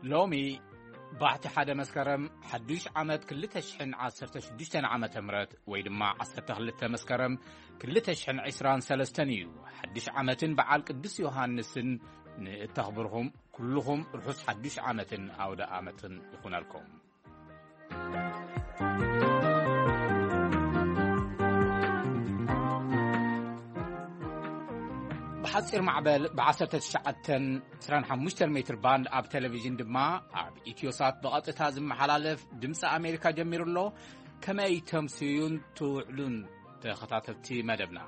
ሎሚ ባሕቲ ሓደ መስከረም ሓዱሽ ዓመት ክልተ ሽሕን ዓሰርተ ሽዱሽተን ዓመተ ምህረት ወይ ድማ ዓሰርተ ክልተ መስከረም ክልተ ሽሕን ዕስራን ሰለስተን እዩ። ሓዱሽ ዓመትን በዓል ቅዱስ ዮሃንስን ንእተኽብርኹም ኩልኹም ርሑስ ሓዱሽ ዓመትን ኣውደ ዓመትን ይኹነልኩም። ብሓጺር ማዕበል ብ19 25 ሜትር ባንድ ኣብ ቴሌቪዥን ድማ ኣብ ኢትዮሳት ብቐጥታ ዝመሓላለፍ ድምፂ ኣሜሪካ ጀሚሩ ኣሎ። ከመይ ተምስዩን ትውዕሉን ተኸታተልቲ መደብና?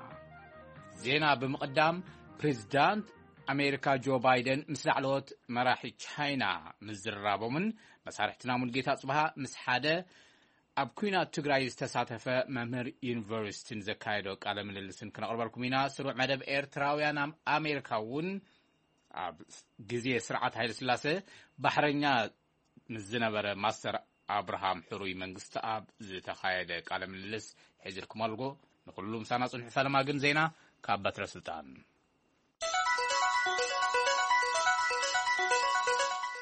ዜና ብምቕዳም፣ ፕሬዚዳንት ኣሜሪካ ጆ ባይደን ምስ ላዕለዎት መራሒ ቻይና ምዝርራቦምን መሳርሕትና ሙልጌታ ጽብሃ ምስ ሓደ ኣብ ኲናት ትግራይ ዝተሳተፈ መምህር ዩኒቨርሲቲን ዘካየዶ ቃለ ምልልስን ክነቕርበልኩም ኢና። ስሩዕ መደብ ኤርትራውያን ኣብ ኣሜሪካ እውን ኣብ ግዜ ስርዓት ሃይለ ስላሴ ባሕረኛ ምስ ዝነበረ ማስተር ኣብርሃም ሕሩይ መንግስቲ ኣብ ዝተኻየደ ቃለ ምልልስ ሒዝልኩም ኣልጎ። ንኩሉ ምሳና ጽንሑ። ፈለማ ግን ዜና ካብ በትረ ስልጣን።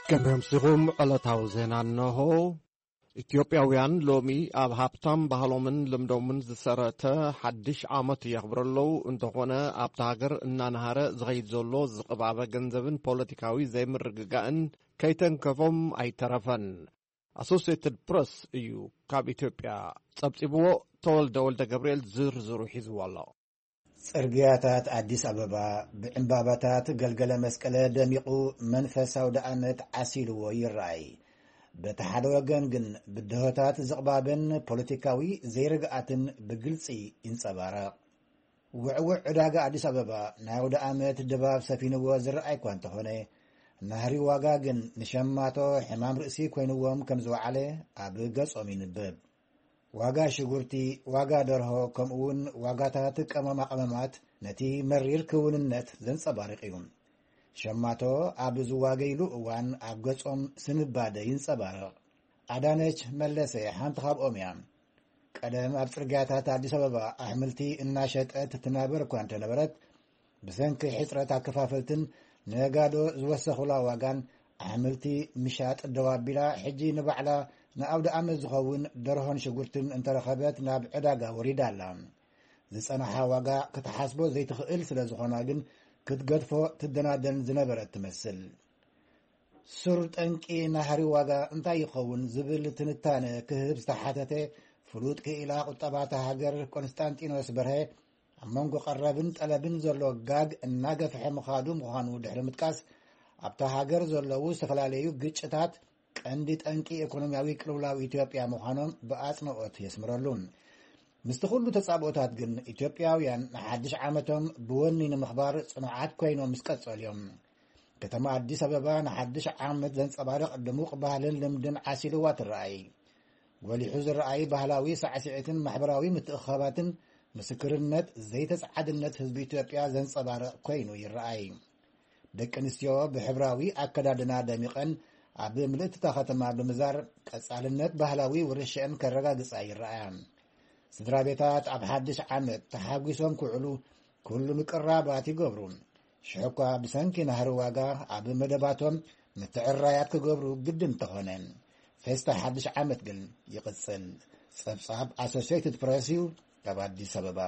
ከመይ ኣምሲኹም? ዕለታዊ ዜና እነሆ። ኢትዮጵያውያን ሎሚ ኣብ ሃብታም ባህሎምን ልምዶምን ዝሰረተ ሓድሽ ዓመት የኽብሩ ኣለዉ። እንተኾነ ኣብታ ሃገር እናነሃረ ዝኸይድ ዘሎ ዝቕባበ ገንዘብን ፖለቲካዊ ዘይምርግጋእን ከይተንከፎም ኣይተረፈን። ኣሶሲየትድ ፕረስ እዩ ካብ ኢትዮጵያ ጸብጺብዎ። ተወልደ ወልደ ገብርኤል ዝርዝሩ ሒዝዎ ኣሎ። ጽርግያታት ኣዲስ ኣበባ ብዕምባባታት ገልገለ መስቀለ ደሚቑ መንፈስ ኣውደ ዓመት ዓሲልዎ ይረኣይ። በቲ ሓደ ወገን ግን ብድሆታት ዝቕባበን ፖለቲካዊ ዘይርግኣትን ብግልጺ ይንጸባረቕ። ውዕውዕ ዕዳጋ ኣዲስ ኣበባ ናይ ኣውደ ዓመት ድባብ ሰፊንዎ ዝረኣይ እኳ እንተኾነ፣ ናህሪ ዋጋ ግን ንሸማቶ ሕማም ርእሲ ኮይንዎም ከም ዝወዓለ ኣብ ገጾም ይንበብ። ዋጋ ሽጉርቲ፣ ዋጋ ደርሆ፣ ከምኡውን ዋጋታት ቀመማ ቀመማት ነቲ መሪር ክውንነት ዘንጸባርቕ እዩ። ሸማቶ ኣብ ዝዋገይሉ እዋን ኣብ ገጾም ስንባደ ይንጸባረቕ። ኣዳነች መለሰ ሓንቲ ካብኦም እያ። ቀደም ኣብ ጽርግያታት ኣዲስ ኣበባ ኣሕምልቲ እናሸጠት ትናበር እኳ እንተነበረት፣ ብሰንኪ ሕጽረት ኣከፋፈልትን ነጋዶ ዝወሰኹላ ዋጋን ኣሕምልቲ ምሻጥ ደው ኣቢላ፣ ሕጂ ንባዕላ ንኣውደ ዓመት ዝኸውን ደርሆን ሽጉርትን እንተረኸበት ናብ ዕዳጋ ወሪዳ ኣላ። ዝጸንሓ ዋጋ ክትሓስቦ ዘይትኽእል ስለ ዝኾና ግን ክትገድፎ ትደናደን ዝነበረት ትመስል። ሱር ጠንቂ ናህሪ ዋጋ እንታይ ይኸውን ዝብል ትንታነ ክህብ ዝተሓተተ ፍሉጥ ክኢላ ቁጠባታ ሃገር ቆንስጣንጢኖስ በርሀ፣ ኣብ መንጎ ቀረብን ጠለብን ዘሎ ጋግ እናገፍሐ ምኻዱ ምዃኑ ድሕሪ ምጥቃስ፣ ኣብታ ሃገር ዘለዉ ዝተፈላለዩ ግጭታት ቀንዲ ጠንቂ ኢኮኖሚያዊ ቅልውላው ኢትዮጵያ ምዃኖም ብኣጽንኦት የስምረሉ። ምስቲ ኩሉ ተጻብኦታት ግን፣ ኢትዮጵያውያን ንሓድሽ ዓመቶም ብወኒ ንምኽባር ጽኑዓት ኮይኖም ምስ ቀጸሉ እዮም። ከተማ ኣዲስ ኣበባ ንሓድሽ ዓመት ዘንጸባርቕ ድሙቕ ባህልን ልምድን ዓሲልዋ ትረኣይ። ጎሊሑ ዝረኣይ ባህላዊ ሳዕስዒትን ማሕበራዊ ምትእኽኻባትን ምስክርነት ዘይተጸዓድነት ህዝቢ ኢትዮጵያ ዘንጸባርቕ ኮይኑ ይረኣይ። ደቂ ኣንስትዮ ብሕብራዊ ኣከዳድና ደሚቐን ኣብ ምልእቲ እታ ከተማ ብምዛር ቀጻልነት ባህላዊ ውርሻአን ከረጋግጻ ይረኣያ። ስድራ ቤታት ኣብ ሓድሽ ዓመት ተሓጒሶም ክውዕሉ ኩሉ ምቅራባት ይገብሩ። ሽሕኳ ብሰንኪ ናህሪ ዋጋ ኣብ መደባቶም ምትዕራያት ክገብሩ ግድን እንተኾነ፣ ፌስታ ሓድሽ ዓመት ግን ይቕጽል። ጸብጻብ ኣሶሲየትድ ፕረስ እዩ ካብ ኣዲስ ኣበባ።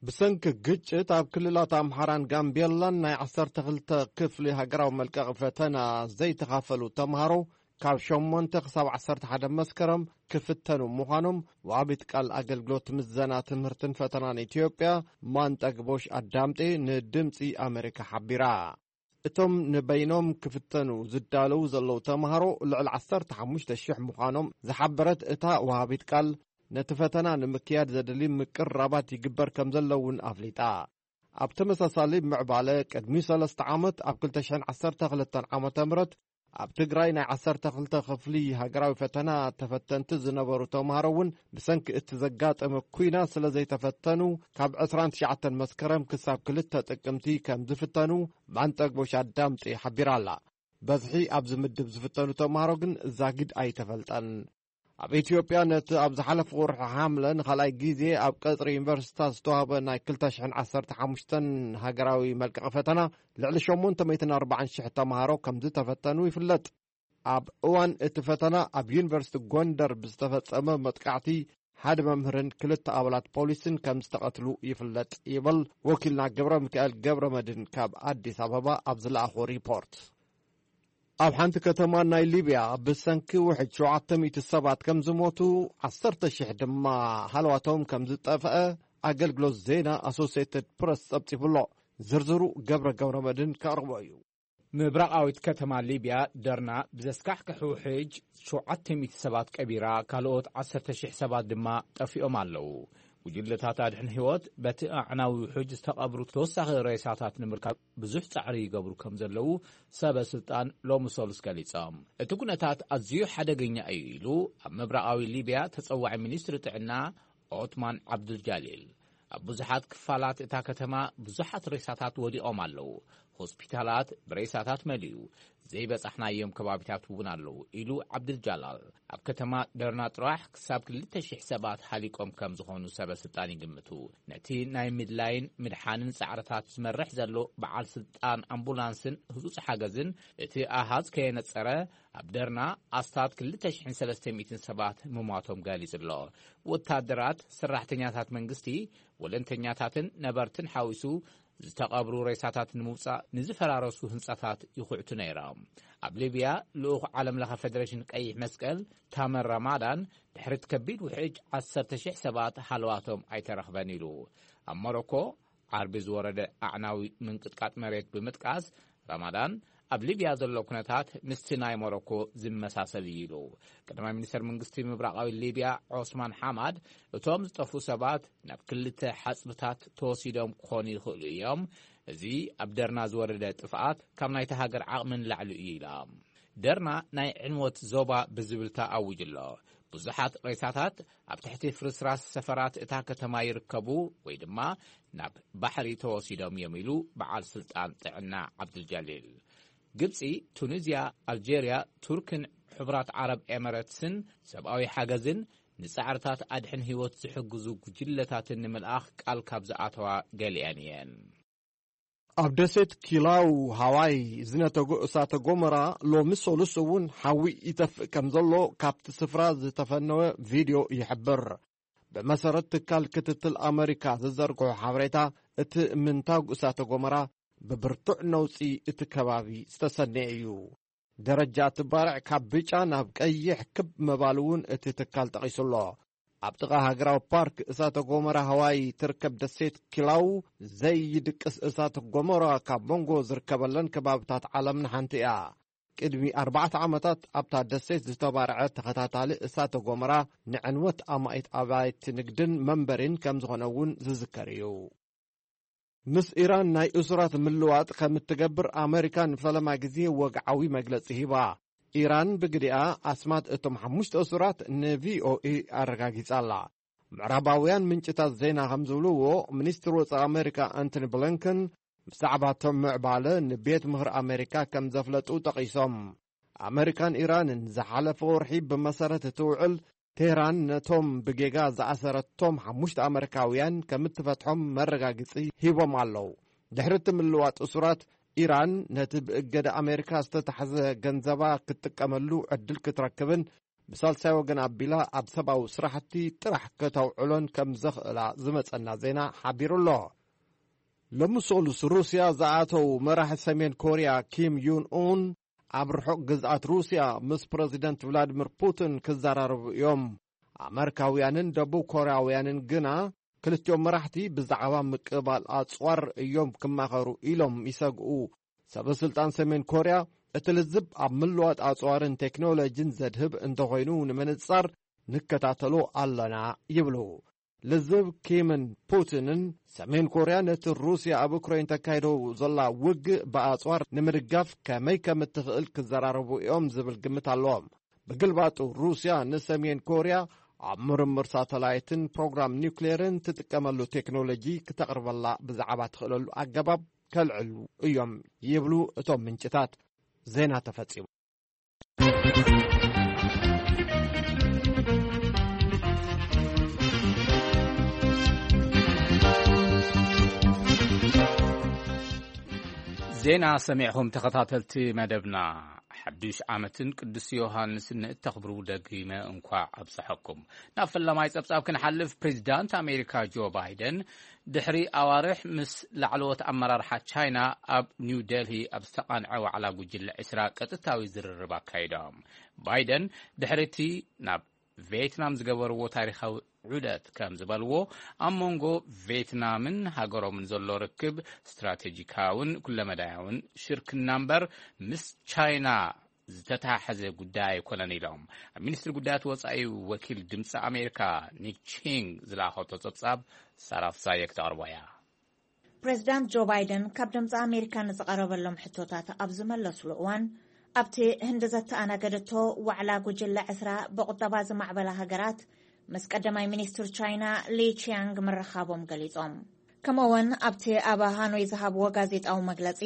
ብሰንኪ ግጭት ኣብ ክልላት ኣምሓራን ጋምቤላን ናይ ዓሰርተ ክልተ ክፍሊ ሃገራዊ መልቀቒ ፈተና ዘይተኻፈሉ ተምሃሮ ካብ ሸሞንተ ክሳብ ዓሰርተ ሓደ መስከረም ክፍተኑ ምዃኖም ወሃቢት ቃል ኣገልግሎት ምዘና ትምህርትን ፈተናን ኢትዮጵያ ማንጠግቦሽ ኣዳምጤ ንድምጺ ኣሜሪካ ሓቢራ። እቶም ንበይኖም ክፍተኑ ዝዳለዉ ዘለዉ ተምሃሮ ልዕሊ ዓሰርተ ሓሙሽተ ሽሕ ምዃኖም ዝሓበረት እታ ወሃቢት ቃል፣ ነቲ ፈተና ንምክያድ ዘድሊ ምቅርራባት ይግበር ከም ዘሎ እውን ኣፍሊጣ። ኣብ ተመሳሳሊ ምዕባለ፣ ቅድሚ ሰለስተ ዓመት ኣብ ክልተ ሽሕን ዓሰርተ ክልተን ዓመተ ምህረት ኣብ ትግራይ ናይ ዓሰርተ ክልተ ክፍሊ ሃገራዊ ፈተና ተፈተንቲ ዝነበሩ ተምሃሮ እውን ብሰንኪ እቲ ዘጋጠመ ኲናት ስለ ዘይተፈተኑ፣ ካብ ዕስራን ትሽዓተን መስከረም ክሳብ ክልተ ጥቅምቲ ከም ዝፍተኑ ማንጠግቦሽ ኣዳምጤ ሓቢራ ኣላ። በዝሒ ኣብዚ ምድብ ዝፍተኑ ተምሃሮ ግን ዛጊድ ኣይተፈልጠን። ኣብ ኢትዮጵያ ነቲ ኣብ ዝሓለፈ ወርሒ ሓምለ ንኻልኣይ ግዜ ኣብ ቀጽሪ ዩኒቨርሲታት ዝተዋህበ ናይ ክልተ ሽሕን ዓሰርተ ሓሙሽተን ሃገራዊ መልቀቒ ፈተና ልዕሊ ሸሞንተ ሚእትን ኣርባዓን ሽሕ ተምሃሮ ከም ዝተፈተኑ ይፍለጥ። ኣብ እዋን እቲ ፈተና ኣብ ዩኒቨርሲቲ ጎንደር ብዝተፈጸመ መጥቃዕቲ ሓደ መምህርን ክልተ ኣባላት ፖሊስን ከም ዝተቐትሉ ይፍለጥ ይብል ወኪልና ገብረ ሚካኤል ገብረ መድን ካብ ኣዲስ ኣበባ ኣብ ዝለኣኾ ሪፖርት። ኣብ ሓንቲ ከተማ ናይ ሊብያ ብሰንኪ ውሕጅ ሸውዓተ ሚእቲ ሰባት ከም ዝሞቱ፣ ዓሰርተ ሽሕ ድማ ሃለዋቶም ከም ዝጠፍአ ኣገልግሎት ዜና ኣሶሲየትድ ፕረስ ጸብጺቡ ኣሎ። ዝርዝሩ ገብረ ገብረ መድን ከቕርቦ እዩ። ምብራቓዊት ከተማ ሊብያ ደርና ብዘስካሕክሕ ውሕጅ ሸውዓተ ሚእቲ ሰባት ቀቢራ፣ ካልኦት ዓሰርተ ሽሕ ሰባት ድማ ጠፊኦም ኣለዉ። ጉጅለታት ኣድሕን ህይወት በቲ ኣዕናዊ ውሕጅ ዝተቐብሩ ተወሳኺ ሬሳታት ንምርካብ ብዙሕ ጻዕሪ ይገብሩ ከም ዘለዉ ሰበ ስልጣን ሎሚ ሰሉስ ገሊጾም። እቲ ኩነታት ኣዝዩ ሓደገኛ እዩ ኢሉ ኣብ ምብራቓዊ ሊብያ ተጸዋዒ ሚኒስትሪ ጥዕና ኦትማን ዓብዱልጃሊል። ኣብ ብዙሓት ክፋላት እታ ከተማ ብዙሓት ሬሳታት ወዲቖም ኣለዉ። ሆስፒታላት ብሬሳታት መሊኡ፣ ዘይበጻሕናዮም ከባቢታት እውን ኣለዉ ኢሉ ዓብዱልጃላል። ኣብ ከተማ ደርና ጥራሕ ክሳብ ክልተ ሽሕ ሰባት ሃሊቆም ከም ዝኾኑ ሰበ ስልጣን ይግምቱ። ነቲ ናይ ምድላይን ምድሓንን ጻዕርታት ዝመርሕ ዘሎ በዓል ስልጣን ኣምቡላንስን ህጹጽ ሓገዝን እቲ ኣሃዝ ከየነጸረ ኣብ ደርና ኣስታት ክልተ ሽሕን ሰለስተ ሚእትን ሰባት ምሟቶም ገሊጹ ኣሎ። ወታደራት፣ ሰራሕተኛታት መንግስቲ፣ ወለንተኛታትን ነበርትን ሓዊሱ ዝተቐብሩ ሬሳታት ንምውጻእ ንዝፈራረሱ ህንጻታት ይኹዕቱ ነይሮም። ኣብ ሊብያ ልኡኽ ዓለም ለኸ ፌደሬሽን ቀይሕ መስቀል ታመር ራማዳን ድሕሪት ከቢድ ውሕጅ ዓሰርተ ሽሕ ሰባት ሃለዋቶም ኣይተረኽበን ኢሉ። ኣብ ሞሮኮ ዓርቢ ዝወረደ ኣዕናዊ ምንቅጥቃጥ መሬት ብምጥቃስ ራማዳን ኣብ ሊብያ ዘሎ ኩነታት ምስቲ ናይ ሞሮኮ ዝመሳሰል እዩ ኢሉ። ቀዳማይ ሚኒስተር መንግስቲ ምብራቓዊ ሊብያ ዖስማን ሓማድ እቶም ዝጠፍኡ ሰባት ናብ ክልተ ሓጽብታት ተወሲዶም ክኾኑ ይኽእሉ እዮም። እዚ ኣብ ደርና ዝወረደ ጥፍኣት ካብ ናይታ ሃገር ዓቕሚ ንላዕሊ እዩ ኢላ። ደርና ናይ ዕንወት ዞባ ብዝብል ተኣዊጁ ኣሎ። ብዙሓት ሬሳታት ኣብ ትሕቲ ፍርስራስ ሰፈራት እታ ከተማ ይርከቡ ወይ ድማ ናብ ባሕሪ ተወሲዶም እዮም ኢሉ በዓል ስልጣን ጥዕና ዓብዱልጃሊል። ግብጺ፣ ቱኒዝያ፣ ኣልጄርያ፣ ቱርክን ሕቡራት ዓረብ ኤመረትስን ሰብኣዊ ሓገዝን ንጻዕርታት ኣድሕን ህይወት ዝሕግዙ ጉጅለታትን ንምልኣኽ ቃል ካብ ዝኣተዋ ገሊአን እየን። ኣብ ደሴት ኪላው ሃዋይ ዝነተጎ እሳተ ጎመራ ሎሚ ሰሉስ እውን ሓዊ ይተፍእ ከም ዘሎ ካብቲ ስፍራ ዝተፈነወ ቪድዮ ይሕብር። ብመሰረት ትካል ክትትል ኣመሪካ ዝዘርግሖ ሓበሬታ፣ እቲ ምንታግ እሳተ ጎመራ ብብርቱዕ ነውጺ እቲ ከባቢ ዝተሰነየ እዩ። ደረጃ እቲ ባርዕ ካብ ብጫ ናብ ቀይሕ ክብ ምባሉ እውን እቲ ትካል ጠቒሱ ኣሎ። ኣብ ጥቓ ሃገራዊ ፓርክ እሳተ ጎመራ ሃዋይ ትርከብ ደሴት ኪላው ዘይድቅስ እሳተ ጎመራ ካብ መንጎ ዝርከበለን ከባብታት ዓለምን ሓንቲ እያ። ቅድሚ ኣርባዕተ ዓመታት ኣብታ ደሴት ዝተባርዐ ተኸታታሊ እሳተ ጎመራ ንዕንወት ኣማኢት ኣባይቲ ንግድን መንበሪን ከም ዝኾነ እውን ዝዝከር እዩ። ምስ ኢራን ናይ እሱራት ምልዋጥ ከም እትገብር ኣመሪካ ንፈለማ ግዜ ወግዓዊ መግለጺ ሂባ። ኢራን ብግዲኣ ኣስማት እቶም ሓሙሽተ እሱራት ንቪኦኤ ኣረጋጊጻ ኣላ። ምዕራባውያን ምንጭታት ዜና ከም ዝብልዎ፣ ሚኒስትር ወጻኢ ኣመሪካ ኣንቶኒ ብሊንከን ብዛዕባ እቶም ምዕባለ ንቤት ምኽሪ ኣመሪካ ከም ዘፍለጡ ጠቒሶም። ኣመሪካን ኢራንን ዝሓለፈ ወርሒ ብመሰረት እቲ ውዕል፣ ቴህራን ነቶም ብጌጋ ዝኣሰረቶም ሓሙሽተ ኣመሪካውያን ከም እትፈትሖም መረጋግጺ ሂቦም ኣለዉ። ድሕሪ እቲ ምልዋጥ እሱራት፣ ኢራን ነቲ ብእገዳ ኣሜሪካ ዝተታሕዘ ገንዘባ ክትጥቀመሉ ዕድል ክትረክብን ብሳልሳይ ወገን ኣቢላ ኣብ ሰብኣዊ ስራሕቲ ጥራሕ ከተውዕሎን ከም ዘኽእላ ዝመጸና ዜና ሓቢሩ ኣሎ። ሎሚ ሰሉስ ሩስያ ዝኣተው መራሒ ሰሜን ኮርያ ኪም ዩን ኡን ኣብ ርሑቕ ግዝኣት ሩስያ ምስ ፕረዚደንት ቭላዲሚር ፑቲን ክዘራረቡ እዮም። ኣመሪካውያንን ደቡብ ኮርያውያንን ግና ክልቲኦም መራሕቲ ብዛዕባ ምቅባል ኣጽዋር እዮም ክማኸሩ ኢሎም ይሰግኡ። ሰበ ስልጣን ሰሜን ኮርያ እቲ ልዝብ ኣብ ምልዋጥ ኣጽዋርን ቴክኖሎጂን ዘድህብ እንተኾይኑ ንምንጻር ንከታተሎ ኣለና ይብሉ። ልዝብ ኪምን ፑቲንን ሰሜን ኮርያ ነቲ ሩስያ ኣብ ዩክሬን ተካይዶ ዘላ ውግእ ብኣጽዋር ንምድጋፍ ከመይ ከም እትኽእል ክዘራረቡ እዮም ዝብል ግምት ኣለዎም። ብግልባጡ ሩስያ ንሰሜን ኮርያ ኣብ ምርምር ሳተላይትን ፕሮግራም ኒውክሌርን ትጥቀመሉ ቴክኖሎጂ ክተቕርበላ ብዛዕባ ትኽእለሉ ኣገባብ ከልዕሉ እዮም ይብሉ እቶም ምንጭታት። ዜና ተፈጺሙ። ዜና ሰሚዕኹም ተኸታተልቲ መደብና። ሓዱሽ ዓመትን ቅዱስ ዮሃንስን ንእተኽብሩ ደግመ እንኳዕ ኣብፀሐኩም። ናብ ፈላማይ ጸብጻብ ክንሓልፍ፣ ፕሬዚዳንት ኣሜሪካ ጆ ባይደን ድሕሪ ኣዋርሕ ምስ ላዕለዎት ኣመራርሓ ቻይና ኣብ ኒው ዴልሂ ኣብ ዝተቓንዐ ዋዕላ ጉጅለ ዕስራ ቀጥታዊ ዝርርብ ኣካይዶም። ባይደን ድሕሪ እቲ ናብ ቬትናም ዝገበርዎ ታሪኻዊ ዑደት ከም ዝበልዎ፣ ኣብ መንጎ ቬትናምን ሃገሮምን ዘሎ ርክብ ስትራቴጂካውን ኩለመዳያውን ሽርክና እምበር ምስ ቻይና ዝተተሓሓዘ ጉዳይ ኣይኮነን ኢሎም። ኣብ ሚኒስትሪ ጉዳያት ወጻኢ ወኪል ድምፂ ኣሜሪካ ኒክ ቺንግ ዝለኣኸቶ ጸብጻብ ሳራ ፍሳየ ክተቕርቦ እያ። ፕሬዚዳንት ጆ ባይደን ካብ ድምፂ ኣሜሪካ ንዝቐረበሎም ሕቶታት ኣብ ዝመለስሉ እዋን፣ ኣብቲ ህንዲ ዘተኣናገደቶ ዋዕላ ጉጅለ ዕስራ ብቁጠባ ዝማዕበላ ሃገራት ምስ ቀዳማይ ሚኒስትር ቻይና ሊ ቺያንግ ምርኻቦም ገሊጾም። ከምኡ'ውን ኣብቲ ኣብ ሃኖይ ዝሃብዎ ጋዜጣዊ መግለጺ፣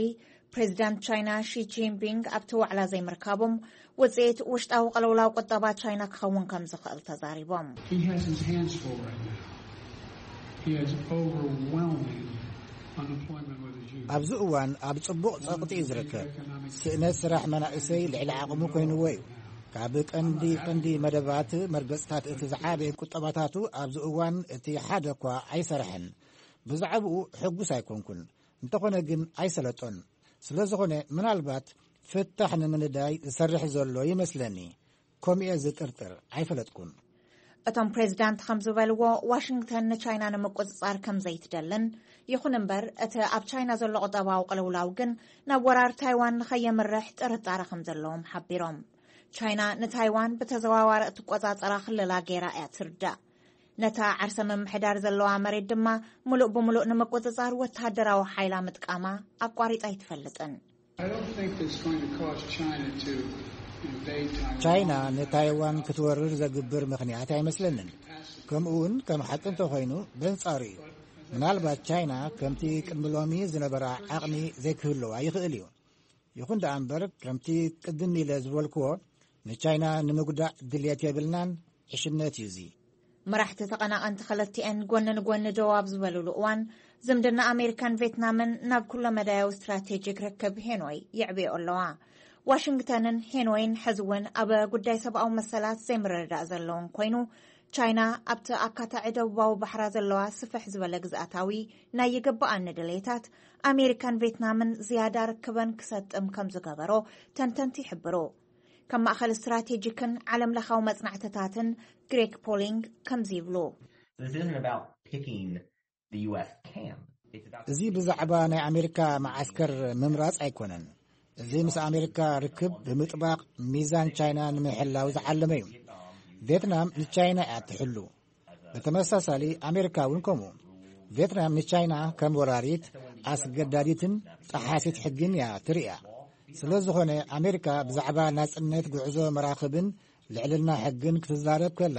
ፕሬዚዳንት ቻይና ሺ ጂንፒንግ ኣብቲ ዋዕላ ዘይምርካቦም ውጽኢት ውሽጣዊ ቅልውላው ቁጠባ ቻይና ክኸውን ከም ዝኽእል ተዛሪቦም። He has his hands full right now. He has overwhelming unemployment with his youth. ኣብዚ እዋን ኣብ ጽቡቕ ጸቕጢ እዩ ዝርከብ። ስእነት ስራሕ መናእሰይ ልዕሊ ዓቕሙ ኮይንዎ እዩ። ካብ ቀንዲ ቀንዲ መደባት መርገጽታት እቲ ዝዓበየ ቁጠባታቱ ኣብዚ እዋን እቲ ሓደ እኳ ኣይሰርሐን። ብዛዕባኡ ሕጉስ ኣይኮንኩን። እንተኾነ ግን ኣይሰለጦን። ስለ ዝኾነ ምናልባት ፍታሕ ንምንዳይ ዝሰርሕ ዘሎ ይመስለኒ። ከምኡ እየ ዝጥርጥር። ኣይፈለጥኩን። እቶም ፕሬዚዳንት ከም ዝበልዎ፣ ዋሽንግተን ንቻይና ንምቁጽጻር ከም ዘይትደልን፣ ይኹን እምበር እቲ ኣብ ቻይና ዘሎ ቁጠባዊ ቅልውላው ግን ናብ ወራር ታይዋን ንኸየምርሕ ጥርጣረ ከም ዘለዎም ሓቢሮም። ቻይና ንታይዋን ብተዘዋዋሪ እትቆጻጸራ ክልላ ገይራ እያ ትርዳእ። ነታ ዓርሰ ምምሕዳር ዘለዋ መሬት ድማ ምሉእ ብምሉእ ንምቁጽጻር ወተሃደራዊ ሓይላ ምጥቃማ ኣቋሪጻ ኣይትፈልጥን። I don't think it's going to cause China to invade Taiwan. ቻይና ንታይዋን ክትወርር ዘግብር ምኽንያት ኣይመስለንን። ከምኡውን ከም ሓቂ እንተኾይኑ በንጻሩ እዩ። ምናልባት ቻይና ከምቲ ቅድሚ ሎሚ ዝነበራ ዓቕሚ ዘይክህልዋ ይኽእል እዩ። ይኹን ደኣ እምበር፣ ከምቲ ቅድም ኢለ ዝበልክዎ፣ ንቻይና ንምጉዳእ ድልየት የብልናን። ዕሽነት እዩ እዚ። መራሕቲ ተቐናቐንቲ ክልቲኤን ጎኒ ንጎኒ ደው ኣብ ዝበሉሉ እዋን፣ ዝምድና ኣሜሪካን ቬትናምን ናብ ኩለ መዳያዊ ስትራቴጂክ ርክብ ሄኖይ የዕብዮ ኣለዋ። ዋሽንግተንን ሄኖይን ሕዚ እውን ኣብ ጉዳይ ሰብኣዊ መሰላት ዘይምርድዳእ ዘለውን ኮይኑ፣ ቻይና ኣብቲ ኣካታዒ ደቡባዊ ባሕራ ዘለዋ ስፍሕ ዝበለ ግዝኣታዊ ናይ ይግብኣኒ ድሌታት ኣሜሪካን ቬትናምን ዝያዳ ርክበን ክሰጥም ከም ዝገበሮ ተንተንቲ ይሕብሩ። ካብ ማእኸል ስትራቴጂክን ዓለም ለኻዊ መጽናዕትታትን ግሬግ ፖሊንግ ከምዚ ይብሉ። This isn't about picking the U S camp. It's about እዚ ብዛዕባ ናይ ኣሜሪካ መዓስከር ምምራጽ ኣይኮነን። እዚ ምስ ኣሜሪካ ርክብ ብምጥባቕ ሚዛን ቻይና ንምሕላው ዝዓለመ እዩ። ቬትናም ንቻይና እያ ትሕሉ። ብተመሳሳሊ ኣሜሪካ እውን ከምኡ። ቬትናም ንቻይና ከም ወራሪት፣ ኣስገዳዲትን ጠሓሲት ሕግን እያ ትርእያ። ስለ ዝኾነ ኣሜሪካ ብዛዕባ ናጽነት ጉዕዞ መራኽብን ልዕልና ሕግን ክትዛረብ ከላ፣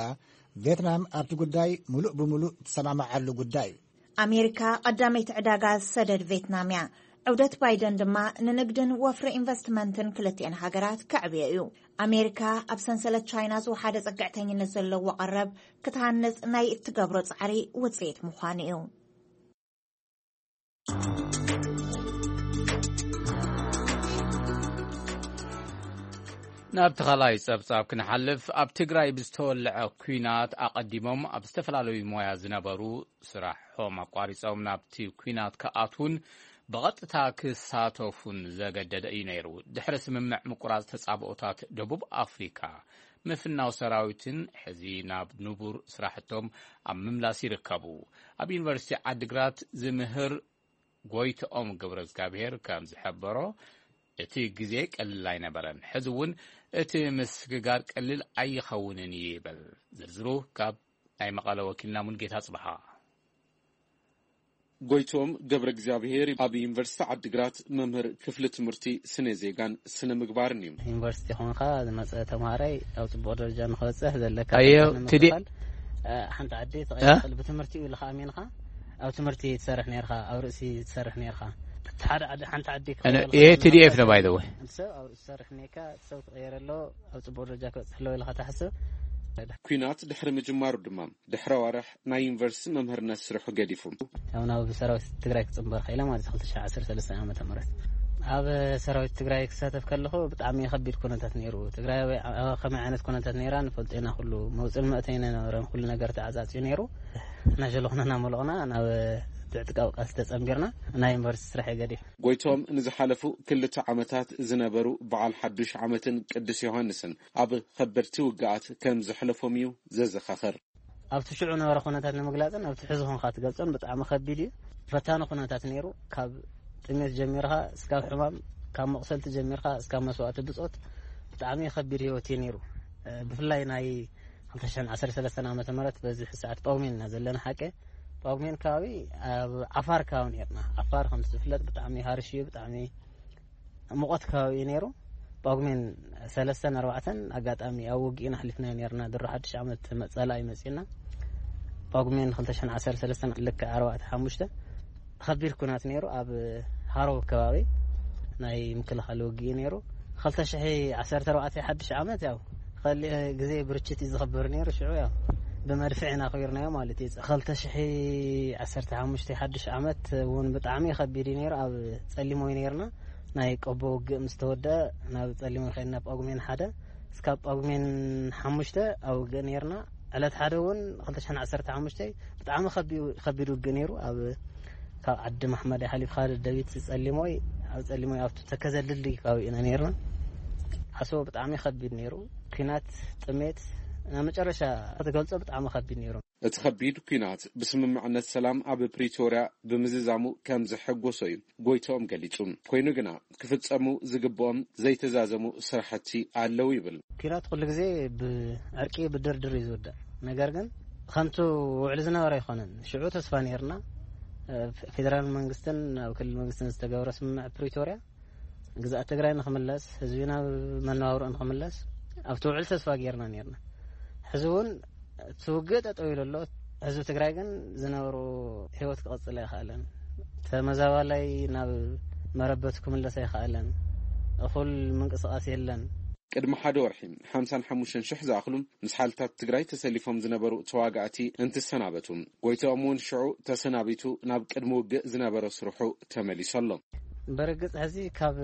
ቬትናም ኣብቲ ጉዳይ ምሉእ ብምሉእ ትሰማማዓሉ ጉዳይ እዩ። ኣሜሪካ ቀዳመይቲ ዕዳጋ ዝሰደድ ቬትናም እያ። ዑደት ባይደን ድማ ንንግድን ወፍሪ ኢንቨስትመንትን ክልቲኤን ሃገራት ከዕብዮ እዩ። ኣሜሪካ ኣብ ሰንሰለት ቻይና ዝወሓደ ጽግዕተኝነት ዘለዎ ቀረብ ክትሃንጽ ናይ እትገብሮ ጻዕሪ ውጽኢት ምዃኑ እዩ። ናብ ተኻላይ ጸብጻብ ክንሓልፍ፣ ኣብ ትግራይ ብዝተወልዐ ኲናት ኣቐዲሞም ኣብ ዝተፈላለዩ ሞያ ዝነበሩ ስራሖም ኣቋሪጾም ናብቲ ኲናት ክኣትዉን ብቐጥታ ክሳተፉን ዘገደደ እዩ ነይሩ። ድሕሪ ስምምዕ ምቁራጽ ተጻብኦታት ደቡብ ኣፍሪካ፣ ምፍናው ሰራዊትን ሕዚ ናብ ንቡር ስራሕቶም ኣብ ምምላስ ይርከቡ። ኣብ ዩኒቨርሲቲ ዓዲግራት ዝምህር ጎይትኦም ገብረ እግዚኣብሔር ከም ዝሐበሮ፣ እቲ ግዜ ቀሊል ኣይነበረን። ሕዚ እውን እቲ ምስግጋር ቀሊል ኣይኸውንን እዩ ይብል። ዝርዝሩ ካብ ናይ መቐለ ወኪልና ሙልጌታ ጽብሃ። ጎይትኦም ገብረ እግዚኣብሔር ኣብ ዩኒቨርሲቲ ዓዲግራት መምህር ክፍሊ ትምህርቲ ስነ ዜጋን ስነ ምግባርን እዩ። ዩኒቨርሲቲ ኾንካ ዝመጸ ተምሃራይ ኣብ ጽቡቕ ደረጃ ንኽበጽሕ ዘለካ ኣዮ፣ ተስፋ ትዲ-፣ ንምክፋል፣ እ፣ ሓንቲ ዓዲ እ? ትቐይር ትኽእል። ብትምህርቲ እዩ ኢልካ ኣሚንካ ኣብ ትምህርቲ ትሰርሕ ነርካ፣ ኣብ ርእሲ ትሰርሕ ነርካ። እቲ ሓደ ዓዲ፣ ሓንቲ ዓዲ ኣነ፣ ክቕየር ይሄ ከሎ ቲ ዲ ኤፍ ነው፣ by the way። እቲ ሰብ ኣብ ርእሲ ትሰርሕ ነርካ፣ እቲ ሰብ ክቕየር ኣሎ፣ ኣብ ጽቡቕ ደረጃ ክበጽሕ ኣለዎ ኢልካ ትሓስብ። ኲናት ድሕሪ ምጅማሩ ድማ ድሕሪ ኣዋርሕ ናይ ዩኒቨርሲቲ መምህርነት ስርሑ ገዲፉ። ያው ናብ ሰራዊት ትግራይ ክጽንበር ኸኢለ ማለት እዩ፣ ክልተ ሽሕ ዓሰርተ ሰለስተ ዓመተ ምህረት። ኣብ ሰራዊት ትግራይ ክሳተፍ ከለኹ ብጣዕሚ ከቢድ ኩነታት ነይሩ። ትግራይ ኣብ ከመይ ዓይነት ኩነታት ነይራ ንፈልጦ ኢና። ኩሉ መውፅእን መእተይን ኣይነበረን። ኩሉ ነገር ተዓፃፂዩ ነይሩ። እናሸለኹና እናመለቕና ናብ ብዕጥቃዊ ቃልሲ ተፀንቢርና ናይ ዩኒቨርሲቲ ስራሕ የገዲፍ። ጎይቶም ንዝሓለፉ ክልተ ዓመታት ዝነበሩ በዓል ሓዱሽ ዓመትን ቅዱስ ዮሃንስን ኣብ ከበድቲ ውግኣት ከም ዘሕለፎም እዩ ዘዘኻኽር። ኣብቲ ሽዑ ነበረ ኩነታት ንምግላፅን ኣብቲ ሕዚ ኾንካ ትገልፆን ብጣዕሚ ከቢድ እዩ። ፈታኒ ኩነታት ነይሩ። ካብ ጥሜት ጀሚርካ እስካብ ሕማም፣ ካብ መቕሰልቲ ጀሚርካ እስካብ መስዋእቲ ብፆት ብጣዕሚ ከቢድ ህይወት እዩ ነይሩ። ብፍላይ ናይ ክልተ ሽሕን ዓሰርተ ሰለስተን ዓመተ ምህረት በዚ ሰዓት ጳጉሜን ኢና ዘለና። ሓቂ ጳጉሜን ከባቢ ኣብ ዓፋር ከባቢ ነርና። ዓፋር ከም ዝፍለጥ ብጣዕሚ ሃርሽ እዩ፣ ብጣዕሚ ሙቐት ከባቢ እዩ ነይሩ። ጳጉሜን ሰለስተን ኣርባዕተን ኣጋጣሚ ኣብ ውግእና ኣሕሊፍናዮ ነርና። ድሮ ሓድሽ ዓመት መጸላ እዩ መጺእና። ጳጉሜን ክልተ ሽሕን ዓሰርተ ሰለስተን ልክዕ ኣርባዕተ ሓሙሽተ ከቢድ ኩናት ነይሩ። ኣብ ሃሮ ከባቢ ናይ ምክልኻል ውግእ ነይሩ። ክልተ ሽሕ ዓሰርተ ኣርባዕተ ሓድሽ ዓመት ያው ኸሊ ግዜ ብርችት እዩ ዝኽበር ነይሩ። ሽዑ ያው ብመድፍዕ ኢና ኣኽቢርናዮ ማለት እዩ። ክልተ ሽሕ ዓሰርተ ሓሙሽተ ሓድሽ ዓመት እውን ብጣዕሚ ከቢድ እዩ ነይሩ። ኣብ ጸሊሞይ ነይርና። ናይ ቆቦ ውግእ ምስ ተወደአ ናብ ጸሊሞይ ኸይድና ጳጉሜን ሓደ እስካብ ጳጉሜን ሓሙሽተ ኣብ ውግእ ነይርና። ዕለት ሓደ እውን ክልተ ሽሕን ዓሰርተ ሓሙሽተ ብጣዕሚ ከቢ-፣ ከቢድ ውግእ ነይሩ። ኣብ ካብ ዓዲ ማሕመድ ሓሊፍካ ደቢት ጸሊሞይ፣ ኣብ ጸሊሞይ ኣብቲ ተከዘ ድልድይ ከባቢ ኢና ነይርና። ዓሶ ብጣዕሚ ከቢድ ነይሩ። ኲናት፣ ጥሜት፣ ናብ መጨረሻ ክትገልጾ ብጣዕሚ ከቢድ ነይሩ። እቲ ከቢድ ኲናት ብስምምዕነት ሰላም ኣብ ፕሪቶርያ ብምዝዛሙ ከም ዘሐጎሶ እዩ ጎይትኦም ገሊጹ። ኮይኑ ግና ክፍጸሙ ዝግብኦም ዘይተዛዘሙ ስራሕቲ ኣለዉ ይብል። ኲናት ኩሉ ግዜ ብዕርቂ ብድርድር እዩ ዝውዳእ። ነገር ግን ከምቲ ውዕሊ ዝነበረ ኣይኮነን። ሽዑ ተስፋ ነይርና። እ፣ ፌደራል መንግስትን ኣብ ክልል መንግስትን ዝተገበረ ስምምዕ ፕሪቶርያ ግዝኣት ትግራይ ንኽምለስ፣ ህዝቢ ናብ መነባብርኡ ንኽምለስ ኣብቲ ውዕል ተስፋ ጌርና ኔርና። ሕዚ እውን እቲ ውግእ ጠጠው ኢሉ ኣሎ። ህዝቢ ትግራይ ግን ዝነበሮ ህይወት ክቕጽል ኣይኸኣለን። ተመዛባላይ ናብ መረበቱ ክምለስ ኣይኸኣለን። እኹል ምንቅስቓስ የለን። ቅድሚ ሓደ ወርሒ ሓምሳን ሓሙሽተን ሽሕ ዝኣኽሉ ምስ ሓይልታት ትግራይ ተሰሊፎም ዝነበሩ ተዋጋእቲ እንትሰናበቱ፣ ጎይትኦም እውን ሽዑ ተሰናቢቱ ናብ ቅድሚ ውግእ ዝነበረ ስርሑ ተመሊሱ ኣሎ። በርግጽ ሕዚ ካብ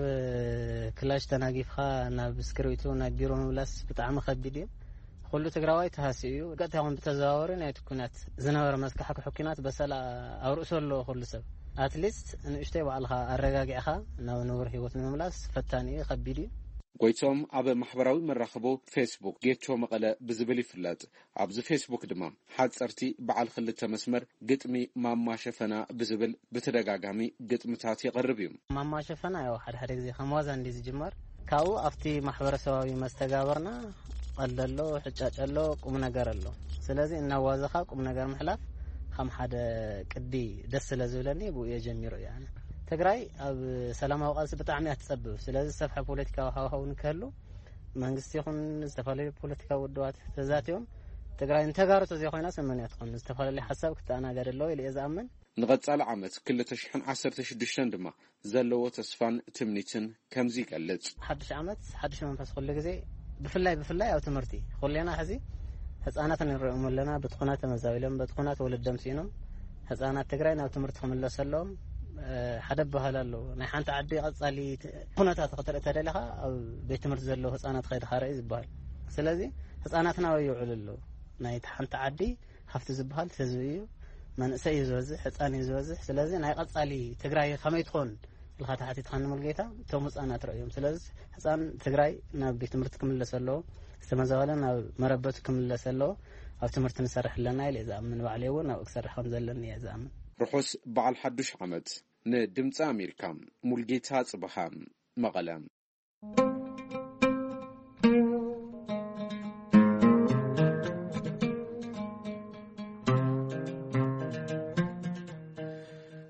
ክላሽ ተናጊፍካ ናብ እስክሪብቶ ናብ ቢሮ ምምላስ ብጣዕሚ ከቢድ እዩ። ኩሉ ትግራዋይ ተሃስዩ እዩ። ቀጥታ ይኹን ብተዘዋወሪ ናይቲ ኲናት ዝነበረ መስካሕክሒ ኲናት በሰላ ኣብ ርእሱ ኣለዎ ኩሉ ሰብ። ኣትሊስት ንእሽተይ ባዕልኻ ኣረጋጊዕካ ናብ ንቡር ህይወት ንምምላስ ፈታኒ እዩ፣ ከቢድ እዩ። ጎይቶም ኣብ ማሕበራዊ መራኸቦ ፌስቡክ ጌቾ መቐለ ብዝብል ይፍለጥ። ኣብዚ ፌስቡክ ድማ ሓፀርቲ በዓል ክልተ መስመር ግጥሚ ማማ ሸፈና ብዝብል ብተደጋጋሚ ግጥምታት የቕርብ እዩ። ማማ ሸፈና ያው ሓደ ሓደ ግዜ ከም ዋዛ እንዲ ዝጅመር፣ ካብኡ ኣብቲ ማሕበረሰባዊ መስተጋበርና ቀልድ ኣሎ፣ ሕጫጭ ኣሎ፣ ቁም ነገር ኣሎ። ስለዚ እናዋዘኻ ቁም ነገር ምሕላፍ ከም ሓደ ቅዲ ደስ ስለ ዝብለኒ ብኡ እየ ጀሚሩ እየ ኣነ። ትግራይ ኣብ ሰላማዊ ቃልሲ ብጣዕሚ እያ ትጸብብ። ስለዚ ዝሰፍሐ ፖለቲካዊ ሃዋህው ንክህሉ መንግስቲ ይኹን ዝተፈላለዩ ፖለቲካዊ ውድባት ተዛትዮም ትግራይ ንተጋሩ ተዘይኮይና ሰመን እያ ትኾን። ዝተፈላለዩ ሓሳብ ክተኣናገድ ኣለዎ ኢለ እየ ዝኣምን። ንቐጻሊ ዓመት ክልተ ሽሕን ዓሰርተ ሽዱሽተን ድማ ዘለዎ ተስፋን ትምኒትን ከምዚ ይገልጽ። ሓድሽ ዓመት፣ ሓድሽ መንፈስ ኩሉ ግዜ፣ ብፍላይ፣ ብፍላይ ኣብ ትምህርቲ። ኩሌና ሕዚ ህጻናት ንርእዮም ኣለና፣ በቲ ኹናት ተመዛቢሎም፣ በቲ ኹናት ወለዶም ስኢኖም፣ ህጻናት ትግራይ ናብ ትምህርቲ ክምለሱ ኣለዎም። እ፣ ሓደ በሃል ኣሎ፣ ናይ ሓንቲ ዓዲ ቀጻሊ ት-፣ ኩነታት ክትርኢ ተደሊኻ፣ ኣብ ቤት ትምህርቲ ዘለዉ ህጻናት ከይድኻ ርእ ዝበሃል። ስለዚ ህጻናትና ኣበይ ይውዕሉ ኣለዉ? ናይ ሓንቲ ዓዲ ሃፍቲ ዝበሃል ህዝቢ እዩ። መንእሰይ እዩ ዝበዝሕ፣ ህፃን እዩ ዝበዝሕ። ስለዚ ናይ ቀፃሊ ትግራይ ከመይ ትኾን ኢልካ ተሓቲትካ ንሙልጌታ፣ እቶም ህፃናት ረእዮም። ስለዚ ህፃን ትግራይ ናብ ቤት ትምህርቲ ክምለስ ኣለዎ፣ ዝተመዛበለ ናብ መረበቱ ክምለስ ኣለዎ። ኣብ ትምህርቲ ንሰርሕ ኣለና ኢለ እየ ዝኣምን። ባዕለይ እውን ኣብኡ ክሰርሕ ከም ዘለኒ እየ ዝኣምን። ርሑስ በዓል ሓዱሽ ዓመት። ንድምፂ ኣሜሪካ፣ ሙልጌታ ጽበሃ፣ መቐለ።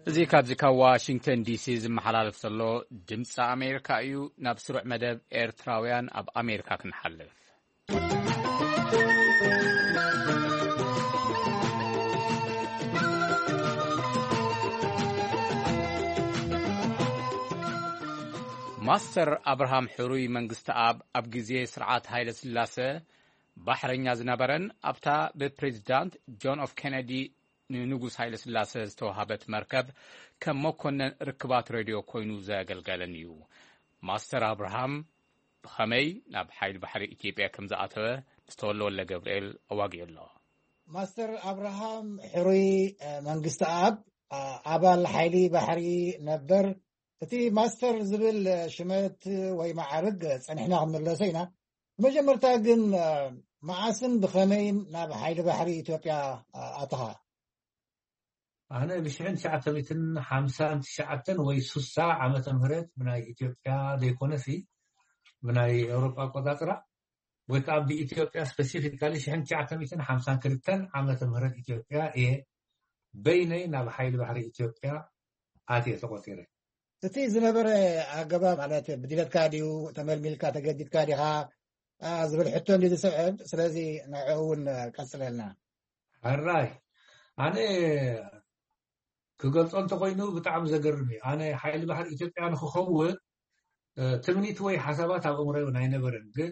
እዚ ካብዚ ካብ ዋሽንግተን ዲሲ ዝመሓላለፍ ዘሎ ድምፂ ኣሜሪካ እዩ። ናብ ስሩዕ መደብ ኤርትራውያን ኣብ ኣሜሪካ ክንሓልፍ። ማስተር ኣብርሃም ሕሩይ መንግስተኣብ ኣብ ግዜ ስርዓት ሃይለ ስላሰ ባሕረኛ ዝነበረን ኣብታ ብፕሬዚዳንት ጆን ኤፍ ኬነዲ ንንጉስ ሃይለ ስላሰ ዝተዋሃበት መርከብ ከም መኮነን ርክባት ሬድዮ ኮይኑ ዘገልገለን እዩ። ማስተር ኣብርሃም ብኸመይ ናብ ሓይሊ ባሕሪ ኢትዮጵያ ከም ዝኣተወ ምስ ተወልደ ወልደ ገብርኤል ኣዋጊኡ ኣሎ። ማስተር ኣብርሃም ሕሩይ መንግስቲ ኣብ ኣባል ሓይሊ ባሕሪ ነበር። እቲ ማስተር ዝብል ሽመት ወይ መዓርግ ጸኒሕና ክንምለሶ ኢና። ብመጀመርታ ግን መዓስን ብኸመይን ናብ ሓይሊ ባሕሪ ኢትዮጵያ ኣተኻ? ኣነ ብሽሕን ትሽዓተ ሚእትን ሓምሳን ትሽዓተን ወይ ሱሳ ዓመተ ምህረት ብናይ ኢትዮጵያ ዘይኮነሲ ብናይ ኤውሮጳ ኣቆጻጽራ ወይ ከዓ ብኢትዮጵያ ስፔሲፊካሊ ሽሕን ትሽዓተ ሚእትን ሓምሳን ክልተን ዓመተ ምህረት ኢትዮጵያ እየ በይነይ ናብ ሓይሊ ባሕሪ ኢትዮጵያ ኣትየ ተቆፂረ። እቲ ዝነበረ ኣገባብ ማለት ብድለትካ ድዩ፣ ተመልሚልካ ተገዲድካ ዲኻ ዝብል ሕቶ እንዲ ዝስዕብ። ስለዚ ንዕኡ እውን ቀፅለልና። ሕራይ ኣነ ክገልፆ እንተኮይኑ ብጣዕሚ ዘገርም እዩ። ኣነ ሓይሊ ባሕሪ ኢትዮጵያ ንክኸውን ትምኒት ወይ ሓሳባት ኣብ እምሮ እውን ኣይነበረን። ግን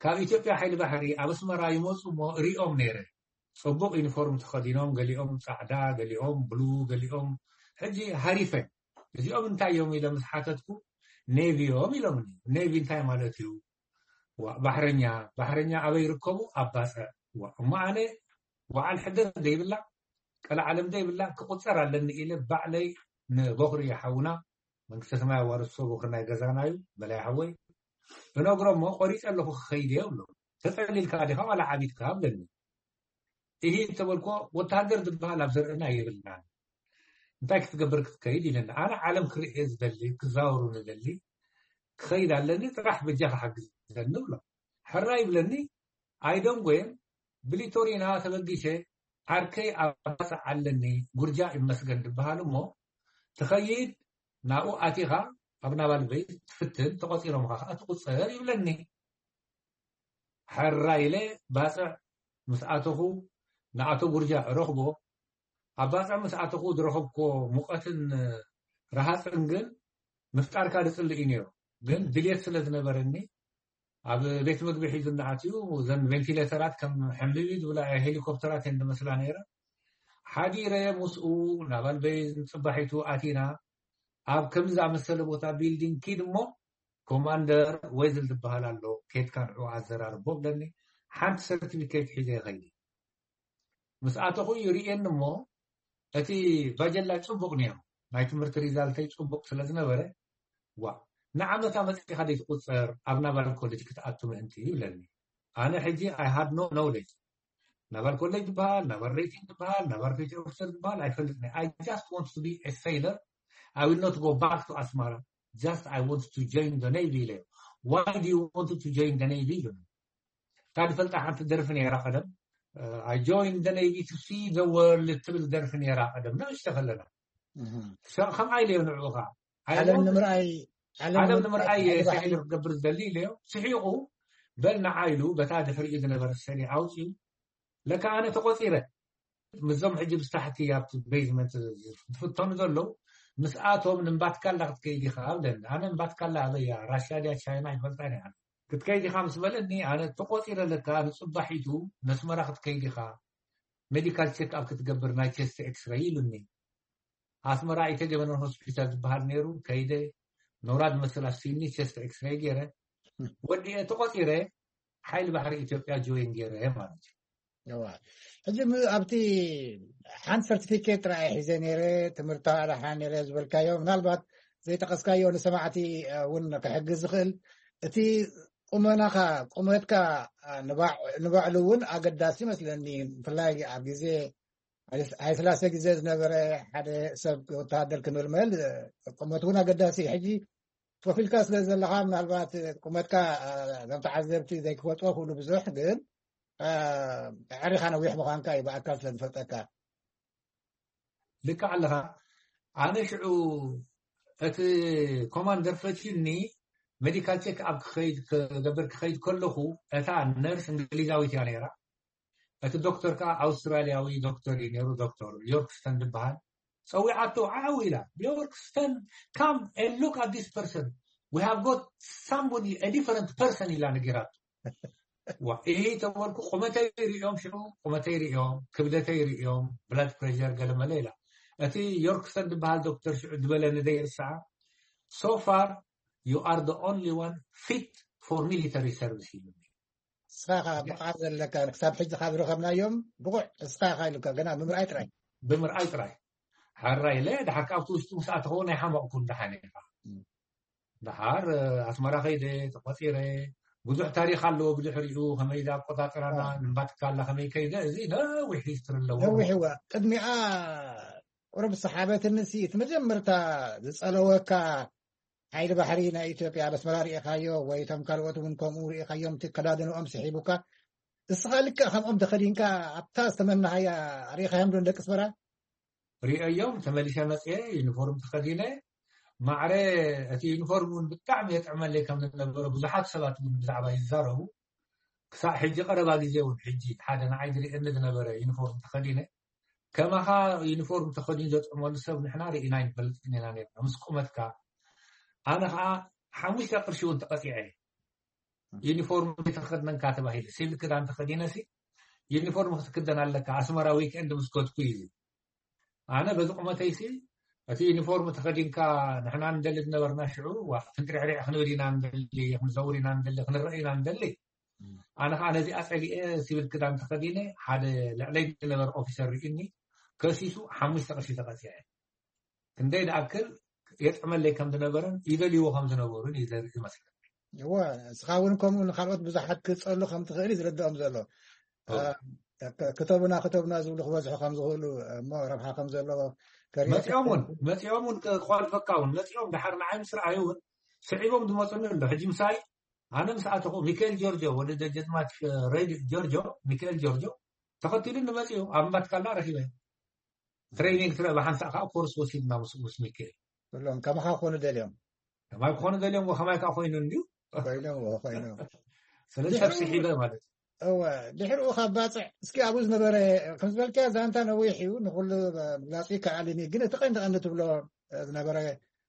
ካብ ኢትዮጵያ ሓይሊ ባሕሪ ኣብ ኣስመራ ይመፁ እሞ ሪኦም ነይረ። ፅቡቅ ዩኒፎርም ተኸዲኖም፣ ገሊኦም ፃዕዳ፣ ገሊኦም ብሉ፣ ገሊኦም ሕጂ ሃሪፈ እዚኦም እንታይ እዮም ኢለ ምስ ሓተትኩ ኔቪ እዮም ኢሎምኒ። ኔቪ እንታይ ማለት እዩ? ባሕረኛ። ባሕረኛ ኣበይ ይርከቡ? ኣብ ባፅዕ። እሞ ኣነ በዓል ሕደር ዘይብላ ቀልዓለም ዘይብላ ክቁፀር ኣለኒ ኢለ ባዕለይ ንቦኽሪ ሓውና መንግስተ ሰማይ ኣዋርሶ ቦኽሪ ናይ ገዛና እዩ በላይ ሓወይ እነግሮ እሞ ቆሪፀ ኣለኹ ክኸይድ እየ ብሎ። ተፀሊልካ ዲኻ ዋላ ዓቢድካ ብለኒ። ይህ ተበልኮ ወታደር ዝበሃል ኣብ ዘርእና የብልናን። እንታይ ክትገብር ክትከይድ ኢለኒ። ኣነ ዓለም ክርእየ ዝደሊ ክዛወሩ ንደሊ ክኸይድ ኣለኒ ጥራሕ በጃ ክሓግዘኒ ብሎ። ሕራ ይብለኒ። ኣይደንጎየን ብሊቶሪና ተበጊሸ ዓርከይ ኣባፅዕ ኣለኒ ጉርጃ ይመስገን ዝበሃል እሞ ትኸይድ ናብኡ ኣቲኻ ኣብ ናባል በይ ትፍትን ተቆፂሮምኻ ከዓ ትቁፀር ይብለኒ። ሕራ ኢለ ባፅዕ ምስ ኣተኹ ንኣቶ ጉርጃ ረኽቦ። ኣብ ባፅዕ ምስ ኣተኹ ዝረኸብኮ ሙቐትን ረሃፅን ግን ምፍጣርካ ዝፅልእ እዩ ነይሩ። ግን ድልየት ስለ ዝነበረኒ ኣብ ቤት ምግቢ ሒዙ እናኣትዩ እዘን ቬንቲሌተራት ከም ሕምቢቢ ዝብላ ሄሊኮፕተራት እየን ዝመስላ ነይረ። ሓዲረ ምስኡ ናብ ኣልበይን ፅባሒቱ ኣቲና ኣብ ከምዚ ዝኣመሰለ ቦታ ቢልዲንግ ኪድ እሞ ኮማንደር ወይዝል ዝበሃል ኣሎ ኬድካ ንዑ ኣዘራርቦ ብለኒ። ሓንቲ ሰርቲፊኬት ሒዘ ይኸይድ ምስ ኣተኹ ይርእየኒ እሞ እቲ ባጀላ ፅቡቅ ነይሩ ናይ ትምህርቲ ሪዛልተይ ፅቡቅ ስለ ዝነበረ ዋ ንዓመታ መፅኢኻ ዘይትቁፀር ኣብ ናባል ኮሌጅ ክትኣቱ ምእንቲ ይብለኒ። ኣነ ሕጂ I had no knowledge ናባል ኮሌጅ ዝበሃል ናባል ሬቲንግ ዝበሃል ናባል ፔቲ ኦፊሰር ዝበሃል ኣይፈልጥን። I just want to be a sailor. I will not go back to ኣስመራ. Just I want to join the navy ኢለ። Why do you want to join the navy? እታ ዝፈልጣ ሓንቲ ደርፊ ነይራ ቀደም I join the navy to see the world ትብል ደርፊ ነይራ ቀደም ንእሽተ ከለና። ከምኣ ኢለዮ ንዕኡ ከዓ ዓለም ንምርኣይ ዓለም ንምርኣይ ሳይለ ክገብር ዝደሊ ኢለዮ። ስሒቑ በል ንዓ ኢሉ በታ ድሕሪኡ ዝነበረ ሰሪ ኣውፅኡ። ለካ ኣነ ተቆፂረ ምስዞም ሕጂ ብስታሕቲ ኣብቲ ቤዝመንት ዝፍተኑ ዘለዉ ምስኣቶም ንምባትካላ ክትከይድ ኢኻ ብለኒ። ኣነ ምባትካላ ኣበያ ራሽያ ድያ ቻይና ይፈልጣ እያ ክትከይድ ኢኻ ምስ በለኒ ኣነ ተቆፂረ ለካ ንፅባሒቱ ነስመራ ክትከይድ ኢኻ ሜዲካል ቸክ ኣብ ክትገብር ናይ ቸስት ኤክስረይ ኢሉኒ። ኣስመራ ኢተገበነን ሆስፒታል ዝበሃል ነይሩ ከይደ ኖራ ዝመስል ኣብ ሲኒ ቸስት ኤክስረይ ገይረ ወዲኤ ተቆፂረ ሓይሊ ባሕሪ ኢትዮጵያ ጆይን ገይረ ማለት እዩ። ሕጂ ኣብቲ ሓንቲ ሰርቲፊኬት ጥራይ ሒዘ ነይረ ትምህርቲ ኣዳሓ ነይረ ዝበልካዮ ምናልባት ዘይጠቀስካዮ ንሰማዕቲ እውን ክሕግዝ ዝኽእል እቲ ቁመናኻ ቁመትካ ንባዕሉ እውን ኣገዳሲ ይመስለኒ። ብፍላይ ኣብ ግዜ ሃይስላሴ ግዜ ዝነበረ ሓደ ሰብ ወተሃደር ክምልመል ቁመት እውን ኣገዳሲ። ሕጂ ኮፍ ኢልካ ስለ ዘለኻ ምናልባት ቁመትካ ዞም ተዓዘብቲ ዘይክፈልጥዎ ክብሉ ብዙሕ ግን ኣዕሪኻ ነዊሕ ምዃንካ እዩ ብኣካል ስለ ዝፈልጠካ። ልክዕ ኣለኻ። ኣነ ሽዑ እቲ ኮማንደር ፈትዩኒ ሜዲካል ቼክ ኣብ ክኸይድ ክገብር ክኸይድ ከለኹ እታ ነርስ እንግሊዛዊት እያ ነይራ። እቲ ዶክተር ከዓ ኣውስትራሊያዊ ዶክተር እዩ ነይሩ። ዶክተር ዮርክስተን ዝበሃል ፀዊዓቶ ዓው ኢላ ዮርክስተን come and look at this person, we have got somebody a different person ኢላ ነጊራቶ። ዋ፣ ይሄ ተበልኩ። ቁመተይ ሪኦም፣ ሽዑ ቁመተይ ሪኦም፣ ክብደተይ ሪኦም፣ ብላድ ፕሬሸር ገለመለ ኢላ። እቲ ዮርክሰን ዝበሃል ዶክተር ሽዑ ዝበለኒ ዘይርሳዓ፣ "So far, you are the only one fit for military service," ኢሉኒ። እስኻ ኢኻ ብቕዓት ዘለካ፣ ክሳብ ሕጂ ካብ ዝረኸብናዮም ብቑዕ እስኻ ኢኻ ኢሉካ፣ ገና ብምርኣይ ጥራይ። ብምርኣይ ጥራይ። ሓራይ ኢለ፣ ድሓር ካብቲ ውሽጢ ምስ ኣተኸዎ ናይ ሓመቕኩ፣ ደሓን ኢኻ። እም። ደሓር ኣስመራ ከይደ ተቆፂረ፣ ብዙሕ ታሪኽ ኣለዎ ብድሕሪኡ፣ ከመይ ዝኣቆፃፅራና፣ ንምባትካላ ከመይ ከይደ፣ እዚ ነዊሕ ሂስትሪ ኣለዎ። ነዊሕ እዋ። ቅድሚኣ ቁሩብ ሰሓበትንሲ፣ እቲ መጀመርታ ዝፀለወካ ሓይሊ ባሕሪ ናይ ኢትዮጵያ ኣብ ኣስመራ ርኢኻዮ ወይ እቶም ካልኦት እውን ከምኡ ርኢኻዮም፣ እቲ ከዳድንኦም ስሒቡካ፣ እስኻ ልክዕ ከምኦም ተኸዲንካ ኣብታ ዝተመናሃያ ርኢኻዮም ዶ ንደቂ ኣስመራ? ሪኦዮም፣ ተመሊሰ መፅየ፣ ዩኒፎርም ተኸዲነ። ማዕረ እቲ ዩኒፎርም እውን ብጣዕሚ የጥዕመለይ ከም ዝነበረ ብዙሓት ሰባት እውን ብዛዕባ ይዛረቡ። ክሳብ ሕጂ ቀረባ ግዜ እውን፣ ሕጂ ሓደ ንዓይ ዝርእየኒ ዝነበረ ዩኒፎርም ተኸዲነ፣ ከማኻ ዩኒፎርም ተኸዲኑ ዘጥዕመሉ ሰብ ንሕና ርኢና ኣይንፈልጥን ኢና ነርና። ምስ ቁመትካ፣ ኣነ ኸዓ ሓሙሽተ ቅርሺ እውን ተቐፂዐ። ዩኒፎርም ተኸድነንካ ተባሂለ፣ ሲቪል ክዳን ተኸዲነሲ ዩኒፎርም ክትክደን ኣለካ፣ ኣስመራ ዊክኤንድ ምስ ከድኩ እዩ። ኣነ በዚ ቁመተይሲ፣ እቲ ዩኒፎርም ተኸዲንካ፣ ንሕና ንደሊ ዝነበርና ሽዑ፣ ዋ፣ ክንጥሪዕሪዕ ክንብል ኢና ንደሊ፣ ክንዘውር ኢና ንደሊ፣ ክንረአ ኢና ንደሊ። እም። ኣነ ኸዓ ነዚኣ ጸሊኤ፣ ሲቪል ክዳን ተኸዲነ፣ ሓደ ልዕለይ ዝነበረ ኦፊሰር ርኢኒ፣ ከሲሱ፣ ሓሙሽተ ቅርሺ ተቐጺዐ። ክንደይ ዝኣክል የጥዕመለይ ከም ዝነበረን ይደልይዎ ከም ዝነበሩን እዩ ዘርኢ ይመስለኒ። እወ፣ እስኻ እውን ከምኡ ንኻልኦት ብዙሓት ክትጸሉ ከም ትኽእል እዩ ዝርድኦም ዘሎ። እወ። እ፣ ክ-፣ ክተቡና፣ ክተቡና ዝብሉ ክበዝሑ ከም ዝኽእሉ፣ እሞ ረብሓ ከም ዘለዎ ከርእየካ መጺኦም እውን፣ ይኽእል። መጺኦም እውን ከ-፣ ክኾልፈካ እውን መጺኦም፣ ደሓር ንዓይ ምስ ረኣዩ እውን ስዒቦም ዝመጹኒ ኣሎ። ሕጂ ምሳይ፣ ኣነ ምስ ኣተኹ፣ ሚካኤል ጆርጆ፣ ወዲ ደጀዝማች ሬድ ጆርጆ፣ ሚካኤል ጆርጆ፣ ተኸቲሉኒ መጺኡ፣ ኣብ እምባትካላ ረኺበ። ትሬኒንግ ትረ-፣ ብሓንሳእ ከዓ ኮርስ ወሲድና ምስ፣ ምስ ሚካኤል። ኩሎም ከማኻ ክኾኑ ደልዮም። ከማይ ክኾኑ ደልዮም፣ ከማይ ከዓ ኮይኑ እንድዩ። ኮይኖም፣ ኮይኖም። ስለዚ ድሕሩ ሰብ ስሒበ ማለት እዩ። እወ፣ ድሕሩ ካብ ባጽዕ፣ እስኪ ኣብኡ ዝነበረ፣ ከም ዝበልካዮ ዛንታ ነዊሕ እዩ፣ ንኹሉ ምግላጹ ይከኣልን እዩ። ግን እቲ ቀንዲ ቀንዲ ትብሎ ዝነበረ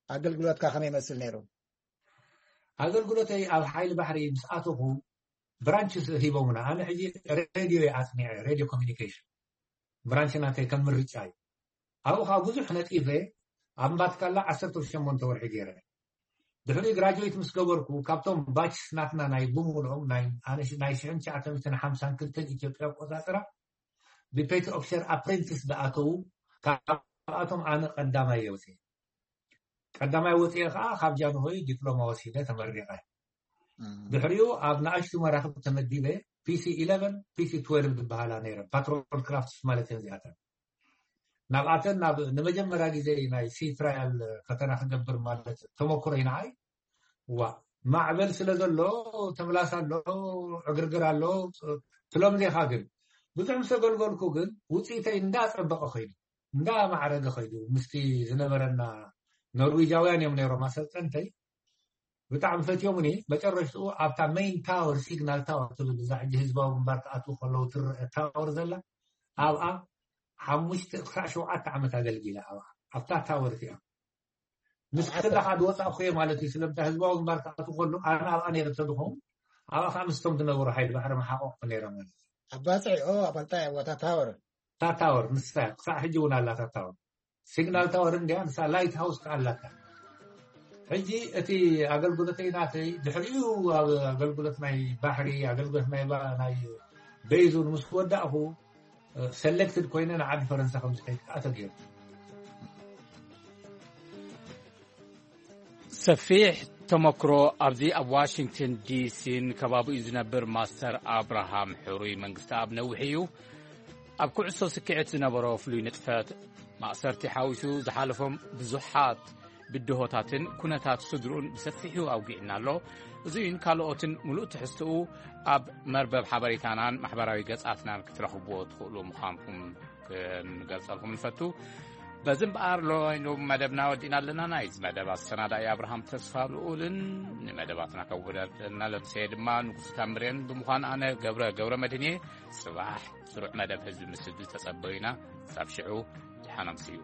ኣገልግሎትካ ከመይ ይመስል ነይሩ? ኣገልግሎተይ ኣብ ሓይሊ ባሕሪ ምስ ኣተኹ ብራንች ሂቦምና። ኣነ ሕጂ ሬድዮ እየ ኣጽኒዐ፣ ሬድዮ ኮሚኒኬሽን። ብራንች ናተይ ከም ምርጫ እዩ። ኣብኡ ከዓ ብዙሕ ነጢፈ፣ ኣብ እምባትካላ ዓሰርተ ሸሞንተ ወርሒ ገይረ። ድሕሪ ግራጁዌት ምስ ገበርኩ፣ ካብቶም ባችስ ናትና ናይ ብምሉኦም ናይ፣ ኣነ ሽ-፣ ናይ ሽሕን ትሽዓተ ሚእትን ሓምሳን ክልተን ኢትዮጵያ ኣቆጻጽራ ብፔቲ ኦፊሰር ኣፕሬንቲስ ዝኣተዉ፣ ካብኣቶም ኣነ ቀዳማይ እየ ወፅየ። ቀዳማይ ወፅየ ከዓ ካብ ጃንሆይ ዲፕሎማ ወሲደ ተመሪቐ። እም። ድሕሪኡ ኣብ ንኣሽቱ መራኽብ ተመዲበ፣ ፒሲ ኢለቨን፣ ፒሲ ትዌልቭ ዝበሃላ ነይረን፣ ፓትሮል ክራፍትስ ማለት እየን እዚኣተን። ናብኣተን ናብ ንመጀመርያ ግዜ ናይ ሲ ትራያል ፈተና ክገብር ማለት ተመክሮይ ንዓይ፣ ዋ፣ ማዕበል ስለ ዘሎ፣ ተምላስ ኣሎ፣ ዕግርግር ኣሎ፣ ትሎም ዜኻ ግን ብዙሕ ምስ ኣገልገልኩ ግን ውፅኢተይ እንዳፀበቐ ኸይዱ፣ እንዳማዕረገ ኸይዱ፣ ምስቲ ዝነበረና ኖርዌጃውያን እዮም ነይሮም ኣሰልጠንተይ። ብጣዕሚ ፈትዮምኒ። መጨረሽትኡ ኣብታ ሜይን ታወር፣ ሲግናል ታወር ትብል፣ እዛ ሕጂ ህዝባዊ ግንባር ክኣትዉ ከለዉ ትረአ ታወር ዘላ፣ ኣብኣ ሓሙሽተ ክሳዕ ሸውዓተ ዓመት ኣገልጊለ። ኣብኣ፣ ኣብታ ታወር እቲኣ። ምስ ኣብታ ክላ ካብ ዝወፃእኩ እየ ማለት እዩ። ስለምንታይ ህዝባዊ ግንባር ክኣትዉ ከለዉ ኣነ ኣብኣ ነይረ እንተዝኸውን፣ ኣብኣ ከዓ ምስቶም ዝነበሩ ሓይሊ ባሕሪ መሓቆቕኩ ነይረ ማለት እዩ። ኣብ ባፅዕ፣ ኦ፣ ኣብ ኣልጣያ፣ ኣብታ ታወር። እታ ታወር ንሳ እያ፣ ክሳዕ ሕጂ እውን ኣላ እታ ታወር። ሲግናል ታወር እንድያ፣ ንሳ ላይት ሃውስ ከኣ ኣላታ። ሕጂ እቲ ኣገልግሎተይ ናተይ፣ ድሕሪኡ ኣብ ኣገልግሎት ናይ ባሕሪ፣ ኣገልግሎት ናይ ባ-፣ ናይ ቤዝ እውን ምስ ወዳእኹ፣ ሰሌክትድ ኮይነ ንዓዲ ፈረንሳ ከም ዝኸይድ ከኣ ተገይሩ። ሰፊሕ ተመክሮ ኣብዚ ኣብ ዋሽንግተን ዲሲን ከባቢኡ ዝነብር ማስተር ኣብርሃም ሕሩይ መንግስተኣብ ነዊሕ እዩ። ኣብ ኩዕሶ ስክዔት ዝነበሮ ፍሉይ ንጥፈት፣ ማእሰርቲ ሓዊሱ ዝሓለፎም ብዙሓት ብድሆታትን ኩነታት ስድርኡን ብሰፊሑ ኣውጊዕና ኣሎ። እዚኡን ካልኦትን ምሉእ ትሕዝትኡ ኣብ መርበብ ሓበሬታናን ማሕበራዊ ገጻትናን ክትረኽብዎ ትኽእሉ ምዃንኩም ክንገልጸልኩም ንፈቱ። በዚ እምበኣር ሎሚ መደብና ወዲእና ኣለና። ናይዚ መደብ ኣሰናዳኢ ኣብርሃም ተስፋ ልኡልን ንመደባትና ከወዳድረና ለምሰየ ድማ ንጉስ ታምሬን ብምዃን ኣነ ገብረ ገብረ መድህን እየ። ጽባሕ ስሩዕ መደብ ህዝቢ ምስ ህዝቢ ተጸበዩና። ክሳብ ሽዑ ደሓን ኣምስዩ።